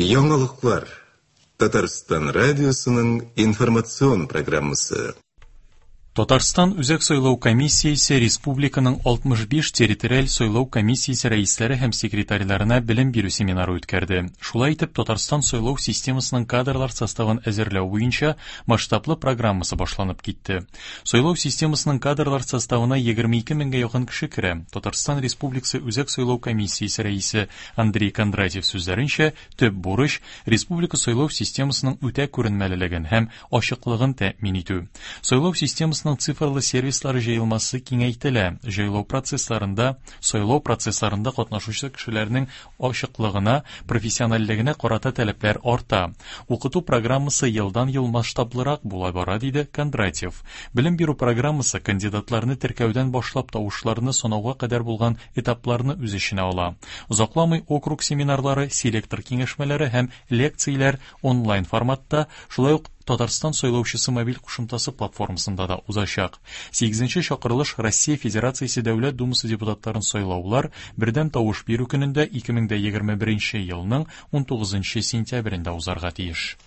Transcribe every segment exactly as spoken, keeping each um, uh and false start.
Яңалыклар. Татарстан радиосының информацион программасы. Татарстан Үзәк сайлау комиссиясе республиканың алтмыш биш территориаль сайлау комиссиясе рәисләре һәм секретарьларына белем бирү семинары үткәрде. Шулай итеп, Татарстан сайлау системасының кадрлар составын әзерләү буенча масштаблы программасы башланып китте. Сайлау системасының кадрлар составына егерме ике меңгә якын кеше керә. Татарстан Республикасы Үзәк сайлау комиссиясе рәисе Андрей Кондратьев сүзләренчә, төп бурыч республика сайлау системасының үтә күренмәлелеген һәм ачыклыгын тәэмин итү. Сайлау системасының цифрлы сервислары җыелмасы киңәйтелә. Җайлау процессларында, сайлау процессларында катнашучы кешеләрнең ачыклыгына, профессиональлегенә карата таләпләр арта. Укыту программасы елдан-ел масштаблырак була бара, диде Кондратьев. Белем бирү программасы кандидатларны теркәүдән башлап тавышларны санауга кадәр булган этапларны үз эченә ала. Озакламый округ семинарлары, селектор киңәшмәләре һәм лекцияләр онлайн форматта, шулай ук Татарстан сайлаучысы мобиль кушымтасы платформасында да узачак. Сигезенче чакырылыш Россия Федерациясе Дәүләт Думасы депутатларын сайлаулар бердәм тавыш бирү көнендә ике мең дә егерме беренче елның унтугызынчы сентябрендә узарга тиеш.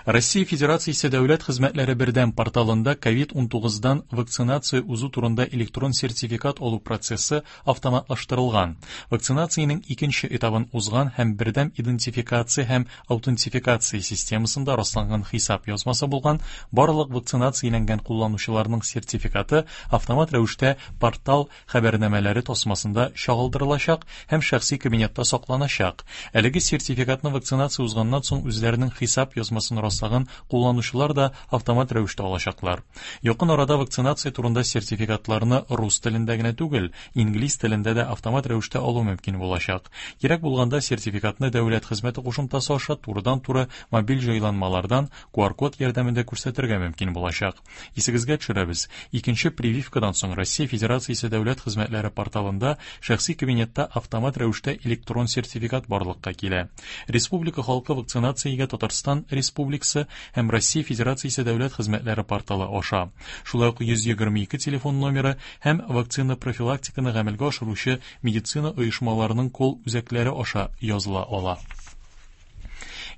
Россия Федерациясе Дәүләт хезмәтләре бердәм порталында ковид унтугыздан вакцинация узу турында электрон сертификат алу процессы автоматлаштырылган. Вакцинациянең икенче этабын узган һәм бердәм идентификация һәм аутентификация системасында расланган хисап язмасы булган барлык вакцинацияләнгән кулланучыларның сертификаты автомат рәвештә портал хәбәрнамәләре тасмасында чагылдырылачак һәм шәхси кабинетта сакланачак. Әлеге сертификатны вакцинация узганнан соң үзләренең хисап язмасын раслаган кулланучылар да автомат рәвештә алачаклар. Якын арада вакцинация турында сертификатларны рус телендә генә түгел, инглиз телендә дә автомат рәвештә алу мөмкин булачак. Кирәк булганда сертификатны дәүләт хезмәте кушымтасы аша турыдан-туры мобиль җайланмалардан ку ар код ярдәмендә күрсәтергә мөмкин булачак. Исегезгә төшерәбез, икенче прививкадан соң Россия Федерациясе дәүләт хезмәтләре порталында шәхси кабинетта автомат рәвештә электрон сертификат барлыкка килә. Республика халкы вакцинациягә Татарстан Республикасы һәм Россия Федерациясе дәүләт хезмәтләре порталы аша, шулай ук йөз егерме ике телефон номеры һәм вакцина профилактиканы гамәлгә ашыручы медицина оешмаларының кол үзәкләре аша языла ала.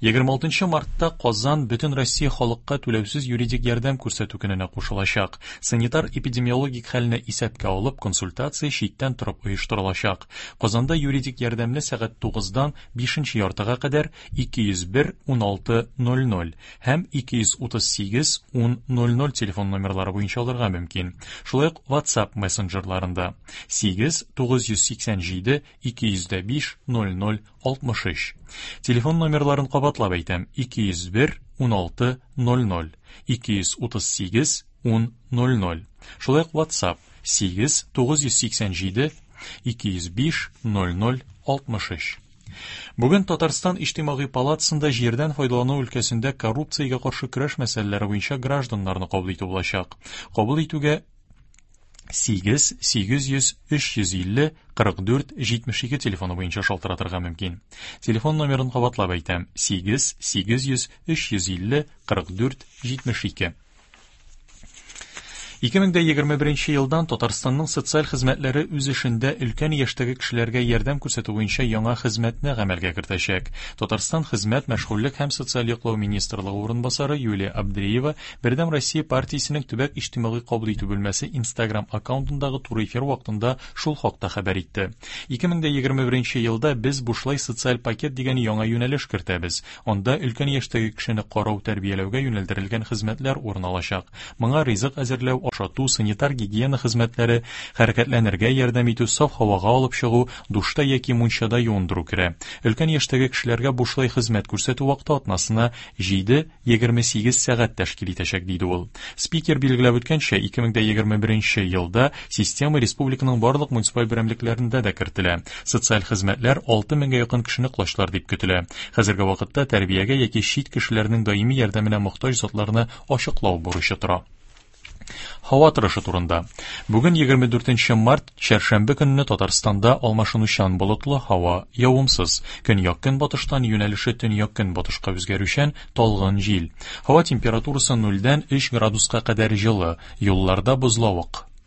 Егерме алтынчы мартта Казан бөтен Россия халыкка түләүсез юридик ярдәм күрсәтү көненә кушылачак. Санитар эпидемиологик хәлне исәпкә алып, консультация читтән торып оештырылачак. Казанда юридик ярдәмне сәгать тугыздан бишенче яртыга кадәр ике йөз бер уналты ноль ноль һәм ике йөз утыз сигез ун ноль ноль телефон номерлары буенча алырга мөмкин. Шулай ук WhatsApp мессенджерларында сигез тугыз йөз сиксән җиде ике йөз дә биш ноль ноль алтмыш өч. Телефон номерларын кабатлап әйтәм: ике йөз бер уналты ноль ноль, ике йөз утыз сигез ун ноль ноль. Шулай ук WhatsApp сигез тугыз йөз сиксән җиде ике йөз биш ноль ноль алтмыш өч. Бүген Татарстан Иҗтимагый палатасында җирдән файдалану өлкәсендә коррупциягә каршы көрәш мәсьәләләре буенча гражданнарны кабул итү булачак. Кабул итүгә сигез сигез йөз өч йөз илле кырык дүрт җитмеш ике телефоны буенча шалтыратырга мөмкин. Телефон номерын кабатлап әйтәм: сигез сигез йөз өч йөз илле кырык дүрт җитмеш ике. Ике мең дә егерме беренче елдан Татарстанның социаль хезмәтләре үз эшендә өлкән яшьтәге кешеләргә ярдәм күрсәтү буенча яңа хезмәтне гамәлгә кертәчәк. Татарстан Хезмәт, мәшгульлек һәм социаль яклау министрлыгы урынбасары Юлия Абдреева Бердәм Россия партиясенең төбәк иҗтимагый кабул итү бүлмәсе Instagram аккаунтындагы туры эфир вакытында шул хакта хәбәр итте. Ике мең дә егерме беренче елда без бушлай социаль пакет дигән яңа юнәлеш кертәбез. Анда өлкән яшьтәге кешене карау, тәрбияләүгә юнәлдерелгән хезмәтләр урын алачак. Моңа ризык әзерләү, ашату, санитар гигиена хезмәтләре, хәрәкәтләнергә ярдәм итү, саф һавага алып чыгу, душта яки мунчада юындыру керә. Өлкән яшьтәге кешеләргә бушлай хезмәт күрсәтү вакыты атнасына җиде егерме сигез сәгать тәшкил итәчәк, диде ул. Спикер билгеләп үткәнчә, ике мең дә егерме беренче елда система республиканың барлык муниципаль берәмлекләрендә дә кертелә. Социаль хезмәтләр алты меңгә якын кешене колачлар дип көтелә. Хәзерге вакытта тәрбиягә яки чит кешеләрнең даими ярдәменә мохтаҗ затларны ачыклау бурычы тора. Һава торышы турында. Бүген егерме дүртенче март, чәршәмбе көнне Татарстанда алмашынучан болытлы һава, явымсыз. Көньяк-көнбатыштан юнәлеше төньяк-көнбатышка үзгәрүчән талгын җил. Һава температурасы нульдән өч градуска кадәр җылы, юлларда бозлавык.